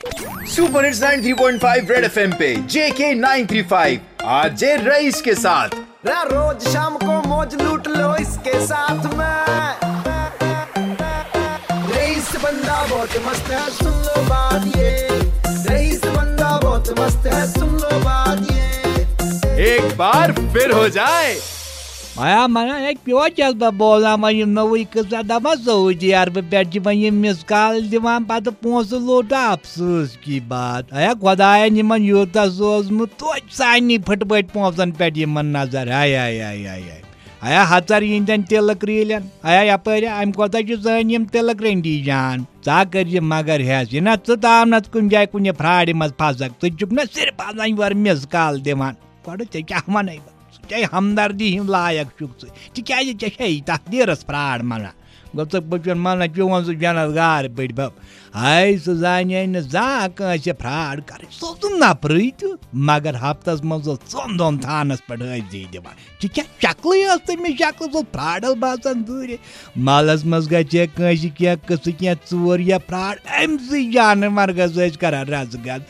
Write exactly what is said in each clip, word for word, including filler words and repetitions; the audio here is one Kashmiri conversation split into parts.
Super hits ninety three point five red FM पे J K nine three five RJ Rais के साथ। रा रोज शाम को मौज लूट लो इसके साथ में। रईस बंदा बहुत मस्त है, सुन लो बात ये। रईस बंदा बहुत मस्त है, सुन लो बात ये। एक बार फिर हो जाए। آیا منا ہے پیوچس بہ بولان وۄنۍ یِم نوٚوٕے قٕصہ دپان سعودی عربہٕ پٮ۪ٹھ چھِ وۄنۍ یِم مِس کال دِوان پتہٕ پونٛسہٕ لوٚٹ افسوس کی بات آیا خۄداین یِمن یوٗتاہ سوزمُت توتہِ سارنٕے پھٕٹپٲٹھۍ پونٛسن پٮ۪ٹھ یِمن نظر ہاے ہاے ہاے ہاے ہاے آیا ہژر یِہنٛدٮ۪ن تِلہٕ کرٛیٖلٮ۪ن آیا یپٲرۍ امہِ کھۄتہٕ چھِ سٲنۍ یِم تِلہٕ کرٛنڈی جان ژٕ ہا کٔرۍ یہِ مگر ہٮ۪س یہِ نہ ژٕ تام نہ ژٕ کُنہِ جایہِ کُنہِ پھراڑِ منٛز پھسکھ ژٕ چھُکھ نہ صرف آسان یورٕ مِس کال دِوان گۄڈٕ ژےٚ کیٛاہ ونے بہٕ ژٕ کیٛاہ ہمدردی ہٕنٛدۍ لایق چھُکھ ژٕ تِکیٛازِ ژےٚ چھے تقدیٖرس پھراڑ منان گوٚو ژٕ بہٕ چھُن منان چون سُہ جنت گار پٲٹھۍ بب ہاے سُہ زانے نہٕ زانٛہہ کٲنٛسہِ پھراڑ کرٕنۍ سُہ اوس نہٕ نفرٕے تیُتھ مگر ہفتس منٛز اوس ژۄن دۄن تھانس پٮ۪ٹھ حٲضری دِوان ژےٚ کیٛاہ شکلٕے ٲس تٔمِس شکلہٕ سُہ اوس پھراڑس باسان دوٗرے محلس منٛز گژھِ ہے کٲنٛسہِ کینٛہہ قٕصہٕ کینٛہہ ژوٗر یا پھراڑ أمۍ سٕے جانہٕ مرگس ٲسۍ کران رزٕ گز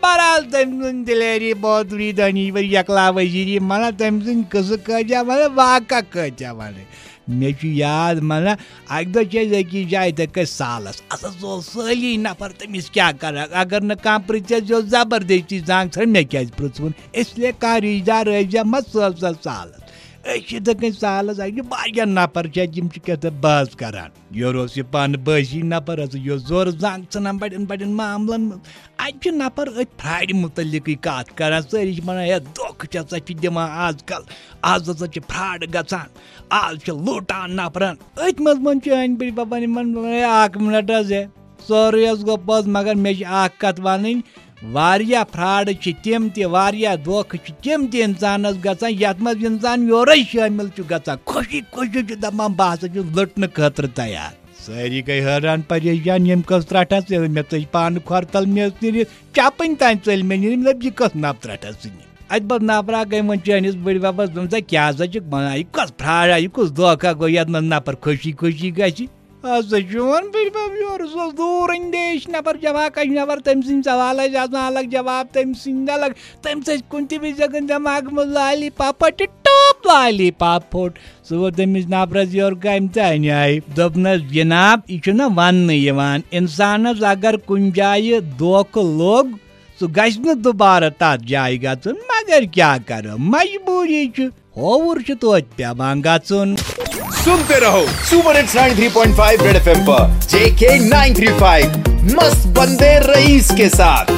بہرحال تٔمۍ سٕنٛز دلیری بہادری دٲنی ؤرۍ یکلا وزیری مطلب تٔمۍ سٕنٛدۍ قٕصہٕ کٲتیٛاہ وَنہٕ واقعہ کٲتیٛاہ وَنہٕ مےٚ چھُ یاد مطلب اَکہِ دۄہ چھِ أسۍ أکِس جایہِ تَتہِ کٔرۍ سالَس اَسَس اوس سٲلی نفر تٔمِس کیٛاہ کَرَکھ اگر نہٕ کانٛہہ پِرٛژھٮ۪س یہِ اوس زبردستی زانٛگ ژھٕنٕن مےٚ کیٛازِ پِرٛژھوُن اِسلیے کانٛہہ رِشتہٕ دار ٲسۍ زِ مہ سٲل سا سالَس أسۍ چھِ یِتھَے کٔنۍ سالَس اَتہِ چھِ واریاہ نفر چھِ اَتہِ یِم چھِ کیٛاہ تام بحث کَران یورٕ اوس یہِ پانہٕ بٲسی نفر ہسا یہِ اوس زورٕ زنٛگ ژھٕنان بڑٮ۪ن بڑٮ۪ن معاملن منٛز اتہِ چھِ نفر أتھۍ پھراڑِ متعلقٕے کتھ کران سٲری چھِ ونان ہے دھوکہٕ چھِ ہسا چھِ دِوان آز کل آز ہسا چھِ فراڈ گژھان آز چھِ لوٗٹان نفرن أتھۍ منٛز ووٚن چٲنۍ بٔڈۍ ببن یِمن ووٚن ہے اکھ منٹ حظ ہے سورُے حظ گوٚو پوٚز مگر مےٚ چھِ اکھ کتھ ونٕنۍ واریاہ فراڈ چھِ تِم تہِ واریاہ دھوکہٕ چھِ تِم تہِ انسانس گژھان یتھ منٛز انسان یورے شٲمِل چھُ گژھان خوشی خوشی چھُ دپان بہٕ ہسا چھُس لُٹنہٕ خٲطرٕ تیار۔ سٲری گٔے حٲران پریشان ییٚمۍ کٔژ ترٛٹھ ٲس ییٚلہِ مےٚ ژٔج پانہٕ کھۄر تل مےٚ ٲس نہٕ یہِ چپٕنۍ تام ژٔلۍ مےٚ نِنۍ مےٚ دوٚپ یہِ کۄس نفرت ٲس یہِ۔ اتہِ بس نفرا گٔے وۄنۍ چٲنِس بٔڈۍ ببس دوٚپُن ژےٚ کیٛاہ سا چھُکھ ونان یہِ کۄس فراڈا یہِ کُس دھوکھا گوٚو یتھ منٛز نفر خوشی خوشی گژھِ۔ ہسا چھُ وۄنۍ بٔڈۍ بب یورٕ سُہ اوس دوٗر اندیش نفر جمع کش نفر تٔمۍ سٕنٛدۍ سوال ٲسۍ آسان الگ جواب تٔمۍ سٕنٛدۍ الگ تٔمۍ سۭتۍ کُنہِ تہِ وِزِ ہٮ۪کن دٮ۪ماغہٕ منٛز لالی پاپا ٹہِ ٹاپ لالی پاپ پھوٚٹ۔ سُہ ووت تٔمِس نفرس یورٕ کامہِ تہِ انہِ آیہِ۔ دوٚپنس، جناب، یہِ چھُنہٕ وننہٕ یِوان۔ انسانس اگر کُنہِ جایہِ دھوکہٕ لوٚگ، سُہ گژھِ نہٕ دُبارٕ تتھ جایہِ گژھُن۔ مگر کیٛاہ کرو، مجبوٗری چھُ۔ ہووُر چھُ توتہِ پٮ۪وان گژھُن۔ सुनते रहो super hits ninety three point five red FM पर जेके नाइन थ्री फ़ाइव मस्त बंदे रईस के साथ।